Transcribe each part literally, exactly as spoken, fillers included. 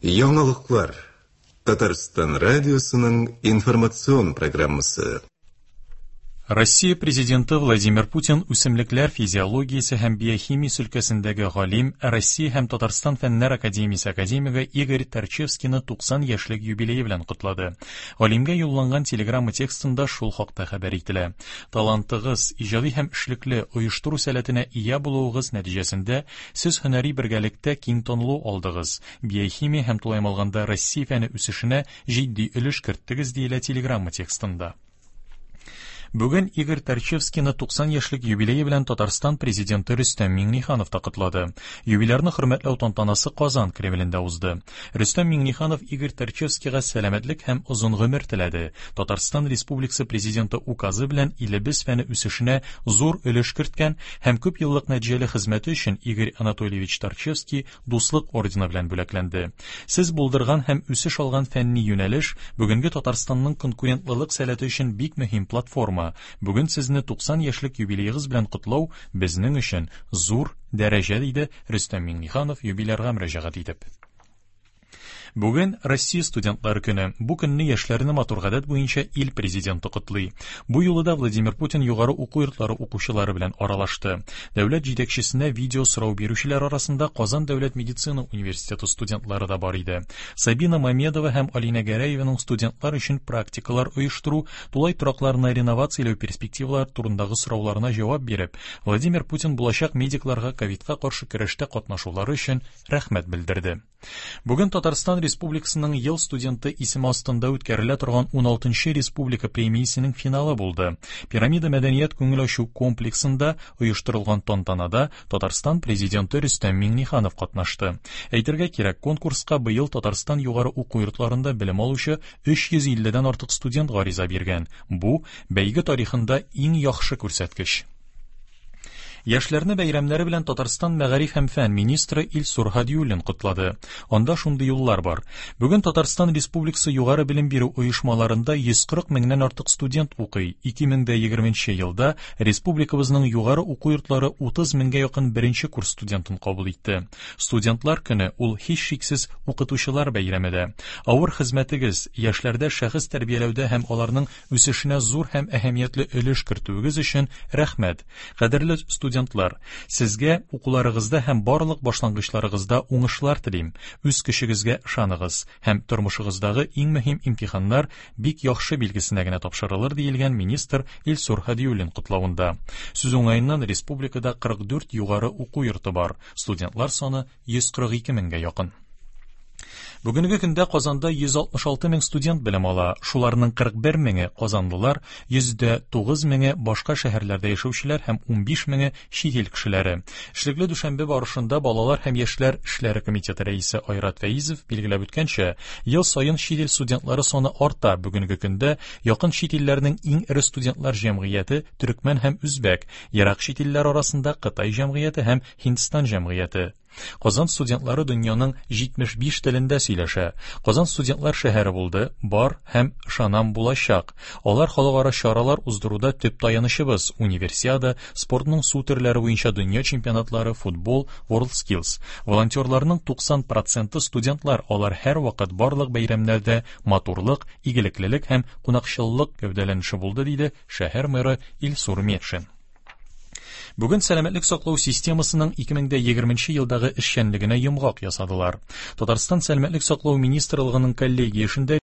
Яңалыклар. Татарстан радиосының информацион программасы. Россия президенты Владимир Путин үсемлекләр физиологиясе һәм биохимиясе өлкәсендәге галим, Россия һәм Татарстан Фәннәр академиясе академигы Игорь Торчевскийны туксан яшьлек юбилее белән котлады. Галимгә юлланган телеграмма текстында шул хакта хәбәр ителә. Талантыгыз, иҗади һәм эшлекле оештыру сәләтенә ия булуыгыз нәтиҗәсендә сез һөнәри бергәлектә киң танылу алдыгыз. Биохимия һәм тулаем алганда Россия фәне үсешенә җитди өлеш керттегез, диелә телеграмма текстында. Бүген Игорь Торчевскийны туксан яшьлек юбилее белән Татарстан президенты Рөстәм Миңнеханов та котлады. Юбилярны хөрмәтләү тантанасы Казан Кремлендә узды. Рөстәм Миңнеханов Игорь Торчевскийга сәламәтлек һәм озын гомер теләде. Татарстан Республикасы президенты указы белән илебез фәне үсешенә зур өлеш керткән һәм күп еллык нәтиҗәле хезмәте өчен Игорь Анатольевич Торчевский Дуслык ордены белән бүләкләнде. Сез булдырган һәм үсеш алган фәнни юнәлеш бүгенге Татарстанның конкурентлылык сәләте өчен бик мөһим платформа. Бүген сезне туксан яшьлек юбилеегыз белән котлау безнең өчен зур дәрәҗә, диде Рөстәм Миңнеханов юбилярга мөрәҗәгать итеп. Бүген Россия студентлары көне. Бу көнне яшьләрне матур гадәт буенча ил президенты котлый. Бу юлы да Владимир Путин югары уку йортлары укучылары белән аралашты. Дәүләт җитәкчесенә видео сорау бирүчеләр арасында Казан дәүләт медицина университеты студентлары да бар иде. Сабина Мамедова һәм Алина Гәрәеваның студентлар өчен практикалар оештыру, тулай торакларны реновацияләү перспективалары турындагы сорауларына җавап биреп, Владимир Путин булачак медикларга ковидка каршы көрәштә катнашулары өчен рәхмәт белдерде. Бүген Татарстан Республикасының ел студенты исеме астында үткәрелә торган уналтынчы республика премиясенең финалы булды. Пирамида мәдәният күңел ачу комплексында оештырылган тантанада Татарстан президенты Рөстәм Миңнеханов катнашты. Әйтергә кирәк, конкурска быел Татарстан югары уку йортларында белем алучы өч йөз илледән артык студент гариза биргән. Бу бәйге тарихында иң яхшы күрсәткеч. Яшьләрне бәйрәмнәре белән Татарстан мәгариф һәм фән министры Илсур Һадиуллин котлады. Анда шундый юллар бар. Бүген Татарстан Республикасы югары белем бирү оешмаларында йөз кырык меңнән артык студент укый. Ике мең дә егерменче елда республикабызның югары уку йортлары утыз меңгә якын беренче курс студентын кабул итте. Студентлар көне ул һичшиксез укытучылар бәйрәме дә. Авыр хезмәтегез, яшьләрдә шәхес тәрбияләүдә һәм аларның үсешенә зур һәм әһәмиятле өлеш кертүегез өчен рәхмәт. Кадерле студентлар, сезгә укуларыгызда һәм барлык башлангычларыгызда уңышлар телим. Үз көчегезгә ышаныгыз һәм тормышыгыздагы иң мөһим имтиханнар бик яхшы билгесенә генә тапшырылыр, диелгән министр Илсур Һадиуллин котлавында. Сүз уңаеннан республикада кырык дүрт югары уку йорты бар. Студентлар саны йөз кырык ике меңгә якын. Бүгенге көндә Казанда йөз алтмыш алты мең студент белем ала. Шуларның кырык бер меңе казанлылар, йөз дә тугыз меңе башка шәһәрләрдә яшәүчеләр һәм унбиш меңе чит ил кешеләре. Эшлекле дүшәмбе барышында балалар һәм яшьләр эшләре комитеты рәисе Айрат Фәизов билгеләп үткәнчә, ел саен чит ил студентлары саны арта. Бүгенге көндә якын чит илләрнең иң эре студентлар җәмгыяте төркмән һәм үзбәк, ерак чит илләр арасында Кытай җәмгыяте һәм Һиндстан җәмгыяте. Казан студентлары дөньяның җитмеш биш телендә сөйләшә. Казан студентлар шәһәре булды, бар һәм ышанам булачак. Алар халыкара чаралар уздыруда төп таянычыбыз. Универсиада, спортның су төрләре буенча дөнья чемпионатлары, футбол, WorldSkills. Волонтерларның туксан проценты студентлар. Алар һәр вакыт барлык бәйрәмнәрдә матурлык, игелеклелек һәм кунакчыллык гәүдәләнеше булды, диде шәһәр мэры Илсур Метшин. Бүген сәламәтлек саклау системасының ике мең дә егерменче елдагы эшчәнлегенә йомгак ясадылар. Татарстан сәламәтлек саклау министрлыгының коллегия эшендә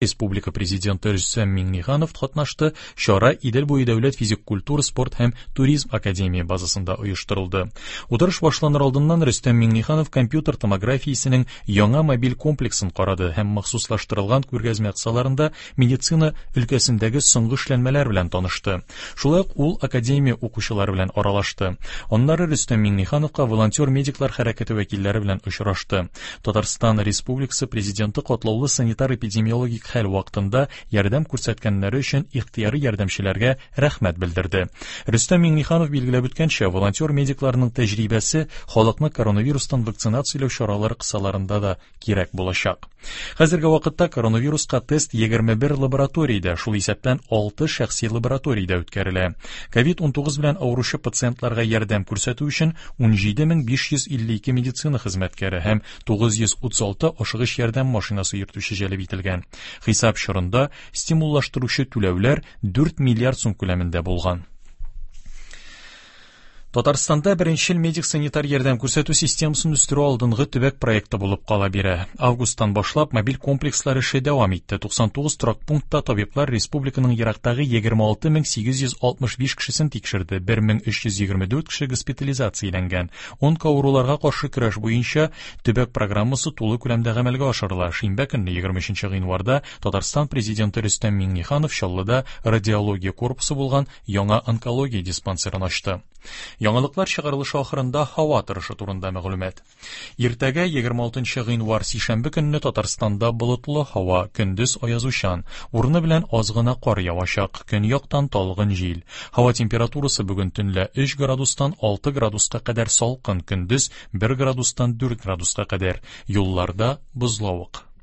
Республика президенты Рөстәм Миңнеханов катнашты. Чара Идел буе дәүләт физик культура, спорт һәм туризм академия базасында оештырылды. Утырыш башланыр алдыннан Рөстәм Миңнеханов компьютер томографиясенең яңа мобиль комплексын карады һәм махсуслаштырылган күргәзмә кысаларында медицина өлкәсендәге соңгы эшләнмәләр белән танышты. Шулай ук ул академия укучылары белән аралашты. Аннары Рөстәм Миңнехановка волонтер медиклар хәрәкәте вәкилләре белән очрашты. Татарстан Республикасы президенты катлаулы санитар-эпидемиологик хәл вакытында ярдәм күрсәткәннәре өчен ихтыяри ярдәмчеләргә рәхмәт белдерде. Рөстәм Миңнеханов билгеләп үткәнчә, волонтер медикларның тәҗрибәсе халыкны коронавирустан вакцинацияләү чаралары кысаларында да кирәк булачак. Хәзерге вакытта коронавируска тест егерме бер лабораториядә, шул исәптән алты шәхси лабораториядә үткәрелә. ковид унтугыз белән авыручы пациентларга ярдәм күрсәтү өчен ун җиде мең биш йөз илле ике медицина хезмәткәре һәм тугыз йөз утыз алты ашыгыч ярдәм машинасы йөртүче җәлеп ителгән. Хисап чорында стимуллаштыручы түләүләр дүрт миллиард сум күләмендә булган. Татарстанда беренчел медик-санитар ярдәм күрсәтү системасын үстерү алдынгы төбәк проекты булып кала бирә. Августтан башлап мобиль комплекслар эше дәвам итте. Туксан тугыз торак пунктта табиблар республиканың ерактагы егерме алты мең сигез йөз алтмыш биш кешесен тикшерде. Бер мең өч йөз егерме дүрт кеше госпитализацияләнгән. Онкоавыруларга каршы көрәш буенча төбәк программасы тулы күләмдә гамәлгә ашырыла. Шимбә көнне егерме өченче гыйнварда Татарстан президенты Рөстәм Миңнеханов Чаллыда радиология корпусы булган яңа онкология диспансерын ачты. Яңалыклар чыгарылышы ахырында һава торышы турында мәгълүмат. Иртәгә егерме алтынчы гыйнвар сишәмбе көнне Татарстанда болытлы һава, көндез аязучан, урыны белән аз гына кар явачак, көньяктан талгын җил. Һава температурасы бүген төнлә өч градустан алты градуска кадәр салкын, көндез бер градустан дүрт градуска кадәр. Юлларда бозлавык.